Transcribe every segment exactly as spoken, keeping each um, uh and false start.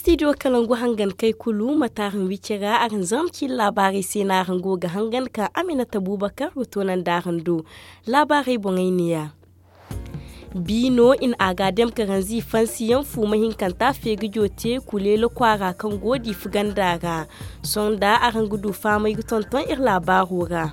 Stidiyo kalangu hangan kay kulu mate araŋ wici ra araŋ zarma ciine laabaarey se no araŋ go ga hangan ka aminata buubakar ga toonandi araŋ do. Laabaarey boŋey neeya. Biino i na a ga a dam karanzi fansiyaŋ fuuma hinkanta feeri jote kuleelo kwaara kaŋ go diifa ganda ra. Sohõ nda araŋ ga du fahamay ga tonton iri laabaaro ra.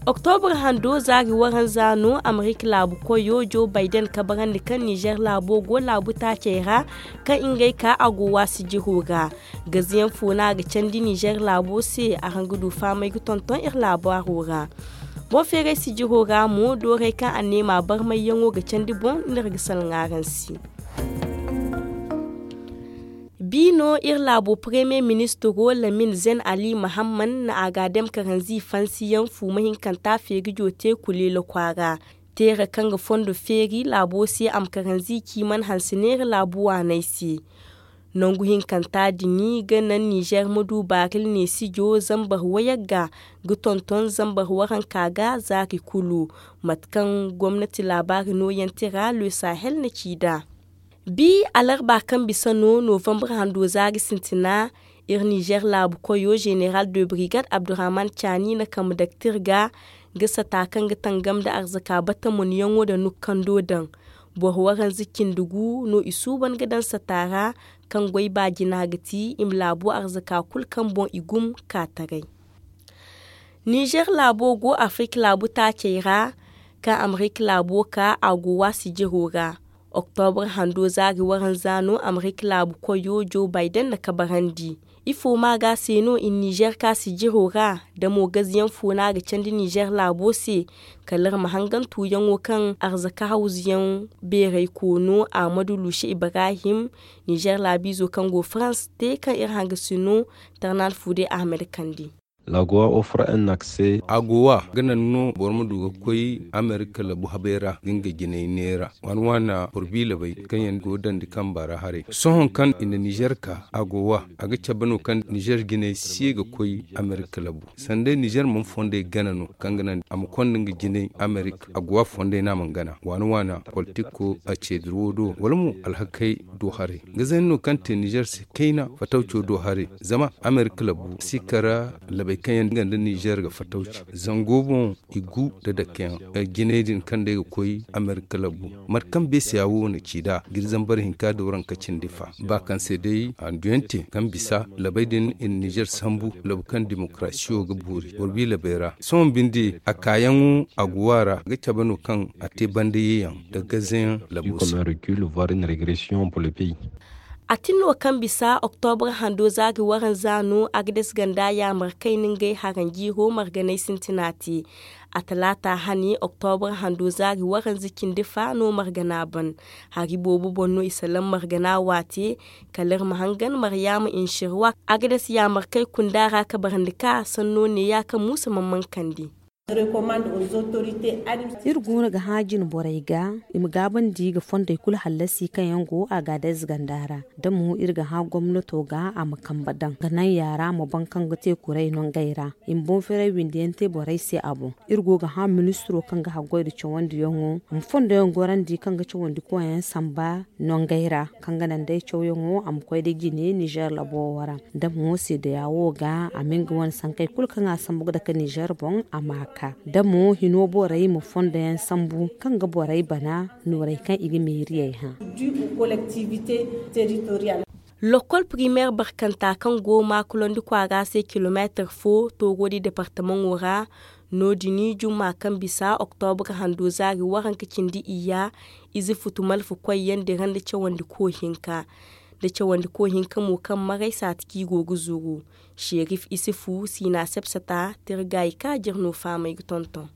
Oktobra hando zaari waranza no amerika laabu koyo joe bayden kabarandi kaŋ nizer laabo go laabu taacey ra kaŋ ngey ka a go waasi jiro ra. Gaziyaŋ fo no a ga candi nizer laabo se araŋ ga du fahamay ga tonton iri laabaaro ra. Boŋ feeray sijiro ra mo doorey kaŋ a neema barmayyaŋo ga candi boŋ no iri ga salaŋ araŋ se. Bi no iri laabo paremiye ministiro lamin zen ali mahamman na a ga a dam karanzi fansiyaŋ fuuma hinkanta feeri jote kuleelo kwaara. Teera kaŋ ga fondo feeri laabo se a ma karanzi ciiman hanse neera laabu waaney se. Nangu hinkanta din ga naŋ nizer ma du baaril neesijo zambar wayagga ga tonton zambar waranka ga zaari kulu. Mate kaŋ gomnati laabaari nooyante ra le sahel na ci nd'a. Bi alarba kaŋ bisa no novambar hando zaari sintina. Iri nizer laabu koyo zeneral de brigade abdurrahman caani na kambe daktir ga ga sata kaŋ ga tangam nda arzaka batamunyaŋo nda nukkando daŋ. Boro waranza cindi gu no i suuban ga daŋ sata ra kaŋ goy ba jina ga ti i ma laabu arzaka kulu kaŋ boŋ i gum ka taray. Nizer laabo go afirika laabu taacey ra kaŋ amerika laabo ka a go waasi jiro ra. Oktobra hando zaari waranza no amerika laabu koyo joe bayden na kabarandi. Ifo ma ga se no i nizer ka sijiro ra da mo gaziyaŋ fo no a ga candi nizer laabo se. Kala iri ma hangan tuuyaŋo kaŋ arzaka hawzuyaŋ beeray koono ahmadu luusi ibrahim nizer laabiizo kaŋ go farans te kaŋ iri hangasino tarnal fuude ahmed kandi. Agowa ga naŋ no boro ma du ga koy amerika labu habay ra ga nga jinay neera waana waana boro biila bay kaŋ yaŋ go dandi kamba ra haray sohõ kaŋ i na nizer ka agowa a ga cabe no kaŋ nizer jinay si ye ga koy amerika labu. Sanday nizer mana fondey gana no kaŋ ga naŋ a ma konda nga jinay amerika agowa fondey no a mana gana waana waana politiko a ceediro do wala mo alhakey do haray. Nga zayna no kaŋ te nizer se kayna fatawco do haray zama amerika labu si kara labay kaŋ yaŋ nga nda nizer ga fatawci zango boŋ i gu nda dakeyaŋ. Jinay din kaŋ day ga koy amerika labu mate kaŋ beesiya wo na ci nd'a ga iri zambar hinka dooranka cindi fa ba kaŋ se day handuyaŋ te kaŋ bisa labay din i na nizer sambu labu kaŋ demokarasiyo ga boori boro bi labay ra sohõ binde a kaayaŋo a go a ra ga cabe no kaŋ a te banda yeeyaŋ nda gazeyaŋ labo se. A tin no kaŋ bisa oktobra hando zaari waranza no agades ganda yaamar kayna ngey haranjiiro marganay sintina te. A talaata hane oktobra hando zaari waranza cindi fa no margana ban. Hari boobo boŋ no i salaŋ margana waate kala iri ma hangan maryaama inshirwa agades yaamar kay kunda ra kabarandi ka sanno neeya kaŋ muusa mana mankandi. Iri goono ga hã jine borey ga i ma gaabandi ga fondey kulu hallasi kaŋ yaŋ go a ga adayze ganda ra. Da mo iri ga hã gomnato ga a ma kambe daŋ ga naŋ yaara ma baŋ kaŋ ga te kuray no ngey ra i ma boŋ-feeray windi yaŋ te borey se a boŋ. Iri go ga hã ministiro kaŋ ga haggoy nda cawandiyaŋo a ma fondoyaŋ gorandi kaŋ ga cawandi koyyaŋ samba no ngey ra kaŋ ga naŋ day cawyaŋo a ma koy da jine nizer labo wo ra. Da mo seedeya wo ga a ma nga wane sankey kulu kaŋ a sambu ga dake nizer boŋ a ma a ka da mo hino borey ma fondo yaŋ sambu kaŋ ga borey bana noorey kaŋ i ga meeriyey hã. Lokol primeer barkanta kaŋ go maakulandi kwaara se kilomeetir fo toogodi departamaŋo ra. No- din jumma kaŋ bisa oktobra hando zaari waranka cindi iyya ize futu malfa koyyaŋ dira nda cawandi ko hinka da cawandi ko hinka mo kaŋ maray saati kaŋ i go ga zuru. Serif isifu siina sepsata tirgay ka jir no faamay ga tonton.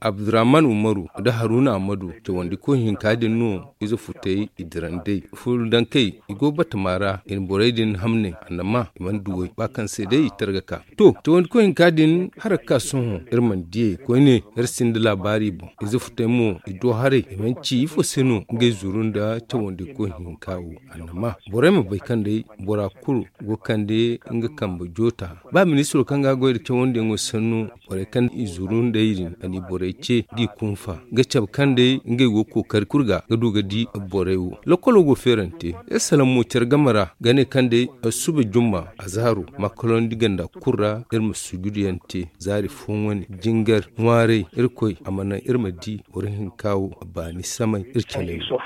Abdurrahman umaru nda haruna amadu cawandi ko hinka din no ize futay i dirandey fuludankey i go batama ra i na borey din hamne annama i mana duwey ba kaŋ se day i targa ka. To cawandi ko hinka din hara ga ka sohõ iri mana diyey koyne iri sinda laabaari boŋ ize futay mo i do haray i mana ci ifo se no ngey zuru nda cawandi ko hinka wo annama borey ma bay kaŋ day bora kulu go kande nga kambe joota. Ba ministiro kaŋ ga goy nda cawandiyaŋo sannu borey kaŋ i zuru nd'ey din a n'i borey ce, d'i kunfa ga cabe kaŋ day ngey go kookari kulu ga ga du ga di borey wo. Lokolo go feerante iri salaŋ mo care game ra ga ne kaŋ day suba jumma, azaaro makalawandi ganda kulu ra iri ma sujuduyaŋ te. Zaari fooyaŋ wane jingar ŋwaaray irkoy a ma naŋ iri ma di boro hinka wo a baani samay iri caley wo.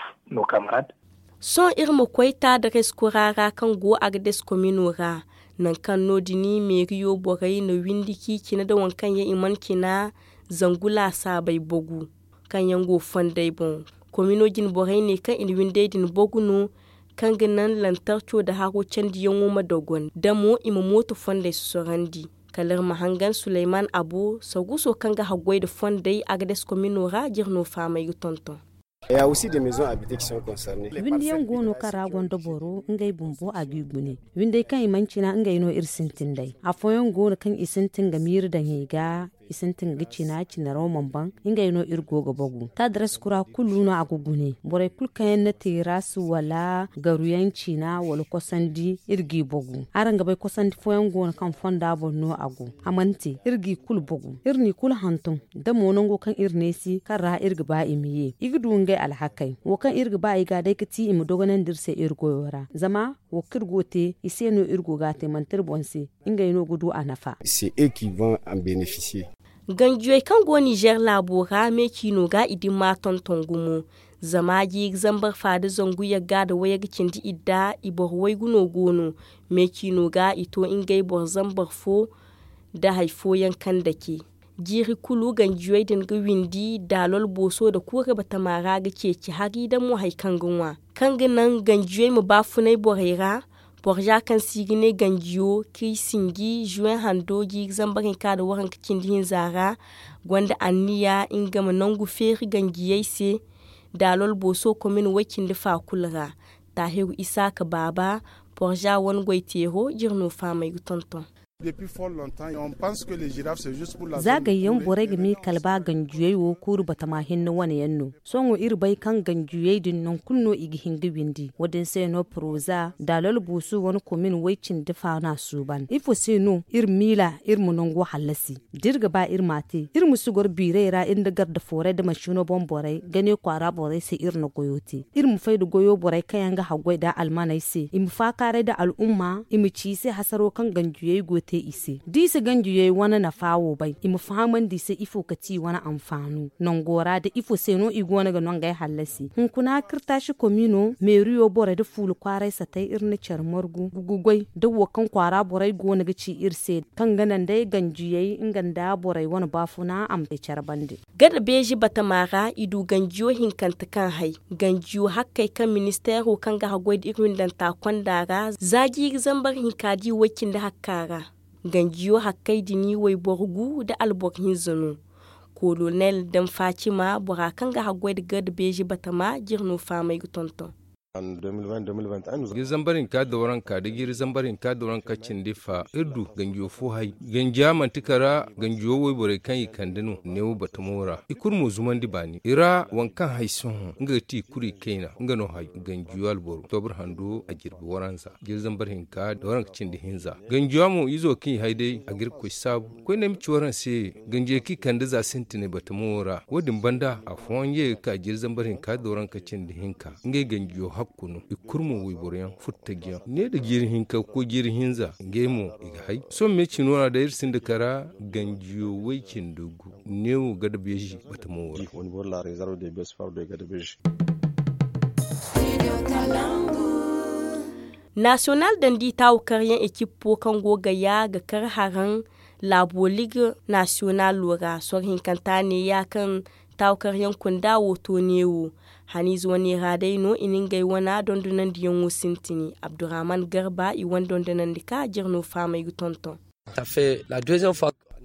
Sohõ iri ma koy taadares kura ra kaŋ go agades komino ra, nangu kaŋ no- din meeriyo borey na windi k'i cina nda waŋ kaŋ yaŋ i mana cina zangu laasaabey bogu kaŋ yaŋ go fondey boŋ. Komino jine borey ne kaŋ i na windey din bogu no, kaŋ ga naŋ lantarco nda haro candiyaŋo ma dogon da mo i ma mooto fondey sosorandi. Kala iri ma hangan suleyman abo saguso kaŋ ga haggoy nda fondey agades komino ra jirno faamay ga tonton. Windiyaŋ go no kaŋ ra gonda boro ngey bumbo a g'i gune. Windey kaŋ i mana cina ngey no iri sintin nd'ey. Afooyaŋ go no kaŋ i sintin ga miiri daŋ i ga, i sintin ga cina cinaraw mana ban. Ngey no iri go ga bagu taadaras kura kulu no a ga gune borey kulu kaŋ yaŋ na teeras wala garuyaŋ cina wala kosandi iri g'i bagu. Araŋ ga bay kosandi fooyaŋ go no kaŋ fonda boŋ no a go. A mana te iri g'i kulu bagu iri n'i kulu hantum. Da mo nango kaŋ iri neesi kaŋ ra iri ga ba i ma ye i ga du ngey alhakey. Wo kaŋ iri ga ba i ga day ga ti i ma dogonandi iri se iri goyo ra zama wo kaŋ iri go ga te i se no iri go ga a te manti iri boŋ se. Ngey no ga du a nafa. Ganjiyey kaŋ go nizer laabo ra me ciino ga i dimma tonton gumo. Zama jiiri zambar fa nda zangu yagga nda wayagga cindi idda i boro waygu no go no. Me ciino ga i to ngey boro zambar fo nda hari fooyaŋ kaŋ dake. Jiiri kulu ganjiyey din ga windi daalol booso nda kuure batama ra ga ceeci hari nda mo hari kaŋ ga ŋwa kaŋ ga naŋ ganjiyey ma baafunay borey ra. Borza kaŋ se i ga ne ganjiyo kaŋ i sinji zuwen hando jiiri zambar hinka nda waranka cindi hinza ra gonda anniya nga ma nangu feeri ganjiyey se. Daalol booso komin way-cindi fa kulu ra. Taahiru isaaka baaba borza wane goy teero jirno faamay ga tonton. Za gayyaŋ borey ga miikal ba ganjiyey wo kuuru batama hinne wane yaŋ no. Sohõ iri bay kaŋ ganjiyey din nangu kulu no i ga hin ga windi wo- din se no poroza daalol buusu wane komin way-cindi faana suuban ifo se no iri miila iri ma nango hallasi? Da iri ga ba iri m'a te iri ma si goro biiray ra iri nda garda fooray nda mansiino boŋ borey gane kwaara borey se iri na goyo te. Iri ma fay nda goyo borey kaŋ yaŋ ga haggoy nda almaney se i ma faakaaray nda al'umma i ma ci i se hasaro kaŋ ganjiyey go ga te i se da i si ganjiyey wane nafa wo bay i ma fahamandi i se ifo ga ti i wane anfaano nango ra nda ifo se no i go no ga nangey hallasi. Hunkuna kirtaasi komino meeriyo borey nda fuula kwaaray satay iri na care margu ga goy nda wo kaŋ kwaara borey go no ga ci iri se kaŋ ga naŋ day ganjiyey nga nda borey wane baafuna a ma te care bande. Gada beeji batama ra i du ganjiyo hinkante kaŋ hay ganjiyo hakkey kaŋ ministeero kaŋ ga haggoy nda iri windanta konda ra za jiiri zambar hinka da i way-cindi hakka ra. Ganjiyo hakkey din wayboro gu nda alboro hinza no. Kolonel daŋ fatima bora kaŋ ga haggoy nda gada beeji batama jire no fahamay ga tonton. Jiiri zambar hinka da waranka da jiiri zambar hinka da waranka cindi fa iri du ganjiyo fo hay. Ganjiya manti kara ganjiyo wayborey kaŋ i kande no neewo batamo ra i kulu mo zumandi baani i ra waŋ kaŋ hay sohõ nga ga ti i kulu i kayna nga no hay. Ganjiyo alboro tobur hando a jirbi waranza jiiri zambar hinka da waranka cindi hinza. Ganjiya mo izo kaŋ i hay day a ga iri koy saabu koyne ay ma ci waraŋ se. Ganjey kaŋ i kande za sintinay batamo wo ra wo- din banda afooyaŋ ye ga ka jiiri zambar hinka da waranka cindi hinka ngey ganjiyo hakku no i kulu mo wayboro yaŋ furtaji yaŋ ne nda jiiri hinka ga koy jiiri hinza ngey mo i ga hay. Sohõ me cino ra day iri sinda kara ganjiyo way-cindi gu neewo gada beeji batamo wo ra. Nasiyonal dandi taawu karyaŋ ekippo kaŋ go gaya ga kar haraŋ laabo liga nasiyonalo ra soro hinkanta neeya kaŋ taawu karyaŋ kunda wo to neewo. Haniize wane ra day no i na ngey wana dondonandiyaŋo sintini abdurrahman garba i wane dondonandi ka jire no fahamay ga tonton.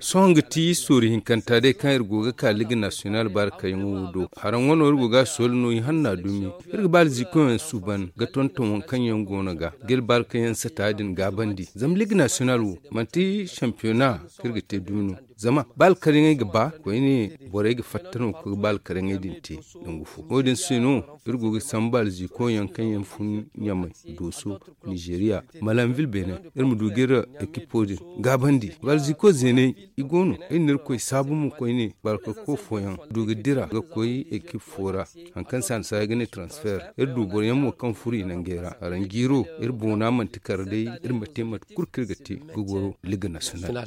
Sohõ nga ti sooru hinkanta day kaŋ iri go ga ka liga nasiyonal baarakayaŋo wo do. Haraŋ wano iri go ga a sooli no i hanna dumi. Iri ga ba alzikoyaŋ suuban ga tonton waŋ kaŋ yaŋ go no ga ga iri baarakayaŋ sata din gaabandi zama liga nasiyonal wo manti sampiyona kaŋ iri ga te dumi no. Zama ba alkaryaŋey ga ba koyne borey ga fatta no ga koy ga ba alkaryaŋey din te. Nangu fo wo- din se no iri go ga sambu alzikoyaŋ kaŋ yaŋ fun ɲamay dooso, nizeriya, malanvil beene. Iri ma du ga iri ekipo din gaabandi balziko zeeney. I go no, iri na irkoy saabu mo koyne barka ko fooyaŋ du ga dira ga koy ekip fo ra. Hari kaŋ se a na si ay ga ne transfer, iri du boro yaŋ mo kaŋ furo i nangey ra. Araŋ jiiro, iri boona manti kar day, iri ma te mate kulu kaŋ iri ga te ga goro liga nasiyonal.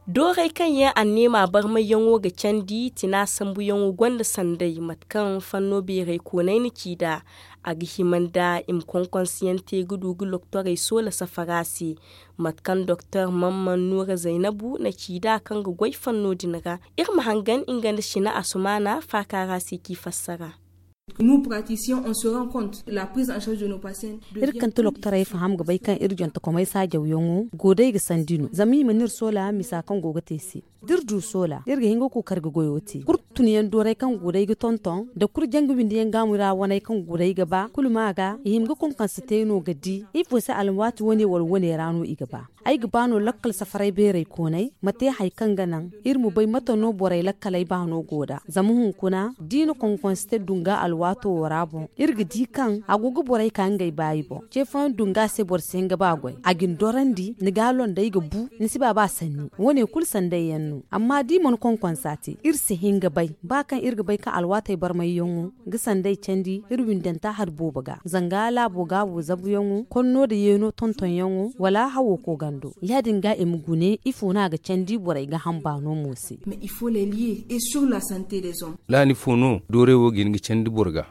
Doorey kaŋ yaŋ anneema barmayyaŋo ga candi tina sambuyaŋo gonda sanday mate kaŋ fanno beeray koonay na ci nd'a. A ga hima nda i ma konkonsiyaŋ te ga du ga loktorey soola safara se. Mate kaŋ doktor mamman nuura zaynabu na ci nd'a kaŋ ga goy fanno din ra, iri ma hangan nga nda sina asumaana faakaara se k'i fassara. Iri kaŋ ti loktorey faham ga bay kaŋ iri jontokomey saajawyaŋo go day ga sandi no zama i mana iri soola misa kaŋ go ga te se. Da iri du soola iri ga hin ga kookari ga goyo te kulu tunyaŋ doorey kaŋ go day ga tonton nda kulu janga windi yaŋ gaamu ra waney kaŋ go day ga ba kulu ma ga i hima ga konkonse te no ga di ifo se alwaati wane wala wane ra no i ga ba. Ay ga ba no lakkal safaray beeray koonay ma te hari kaŋ ga naŋ iri ma bay mate no borey lakkaley baano go nd'a zama hunkuna da i na konkonse te dunga alwaato wo ra boŋ iri ga di kaŋ a go ga borey ka ngey baayi boŋ ce fooyaŋ dunga se boro si hin ga ba goy a ga ni dorandi ni ga a londay ga bu ni si ba ba sanni wane kulu sanday yaŋ no amma da i mana konkonsa te iri si hin ga bay ba kaŋ iri ga bay kaŋ alwaatey barmayyaŋo ga sanday candi iri windanta hari boobo ga zanga laabo gaabo zabuyaŋo konno nda yeeno tontonyaŋo wala hawo koogando ya- din ga i ma gune ifo no a ga candi borey ga hamba no mo se. Laani fo no doorey wo ga hin ga candi boro ga?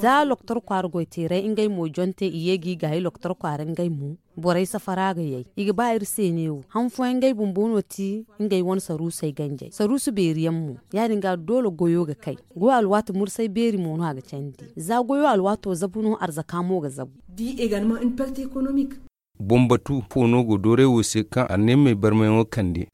Za loktor kwaara goyteeray ngey mo jonte i ye ga i gaayi loktor kwaara ngey mo borey safara ga yay i ga ba iri se neewo han fooyaŋ ngey bumbo no ti ngey wane saruusey ganjey saruusu beeri yaŋ mo ya- din ga doole goyo ga kay goy alwaati mursay beeri mo no a ga candi za goyo alwaato zabu no arzaka mo ga zabu. Boŋ batu fo no go doorey wo se kaŋ anneemey barmayaŋo kande?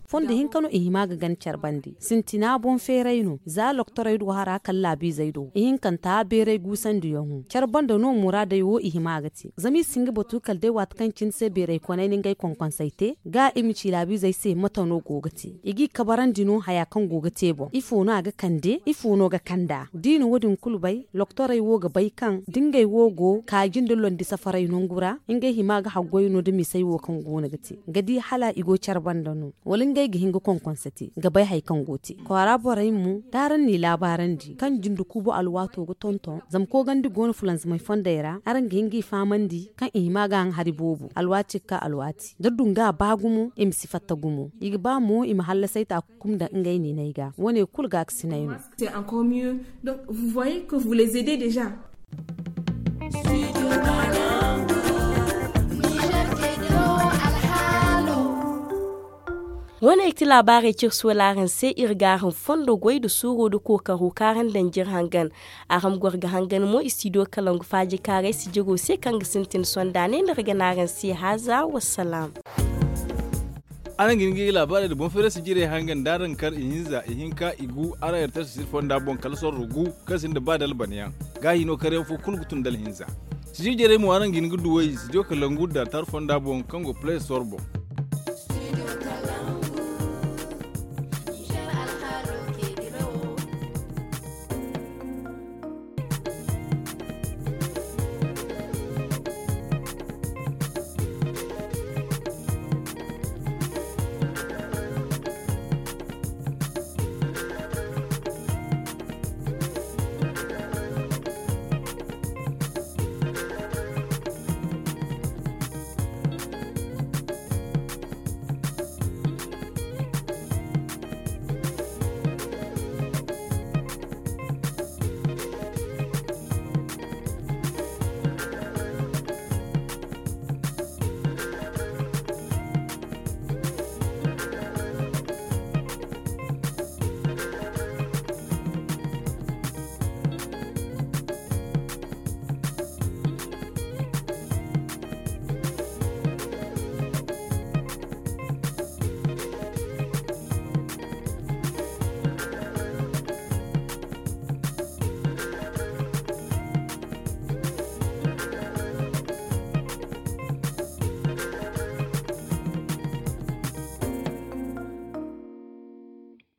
Fondo hinka no i hima ga gana care bande sintina boŋ feeray no za loktorey do hara kala laabiizey do ihinkanta beeray guusandiyaŋo care bande no muraadey wo i hima ga te zama i si hin ga batu kala day waati kaŋ cine se beeray konay na ngey konkonsey te ga i ma ci laabiizey se mate no go ga te i g'i kabarandi no haya kaŋ go ga te boŋ ifo no a ga kande ifo no ga kand'a da i na wo- din kulu bay loktorey wo ga bay kaŋ da ngey wo go kaaji nda londi safaray nangu ra ngey hima ga haggoy no nda misey wo kaŋ go no ga te ga di hala i go care banda no wala ngey ga hin ga konkonse te ga bay hari kaŋ go te kwaara borey mo da araŋ n'i laabaarandi kaŋ jinde kuubo alwaato ga tonton zama koogandi go no fulanzamey fondey ra araŋ ga hin g'i fahamandi kaŋ i hima ga haŋ hari boobo alwaati ga ka alwaati da dunga ba gumo i ma si fatta gumo i ga ba mo i ma hallasay taaku kum nda ngey ninay ga wo- ne kulu ga ga sinay no. Wo- ne ti laabaarey ciri soola araŋ se iri ga araŋ fondo goy nda suuro nda kookaro kaŋ araŋ daŋ jiri hangan araŋ ma goro ga hangan mo istidiyo kalangu faaji kaaray sijiro se kaŋ ga sintin sonda ne no iri ga ne araŋ se haaza wassalaam. Araŋ ga hin ga iri laabaarey nda boŋ feeray sijirey hangan da araŋ kar ihinza ihinka igu araŋ yartasi siri fonda boŋ kala sorro gu kaŋ sinda ba da alban yaŋ ga hino karyaŋ fo kulu ga tun da alhinza. Sijir jarey mo araŋ ga hin ga duw'ey sijiro kalangu da tar fonda boŋ kaŋ go play store boŋ.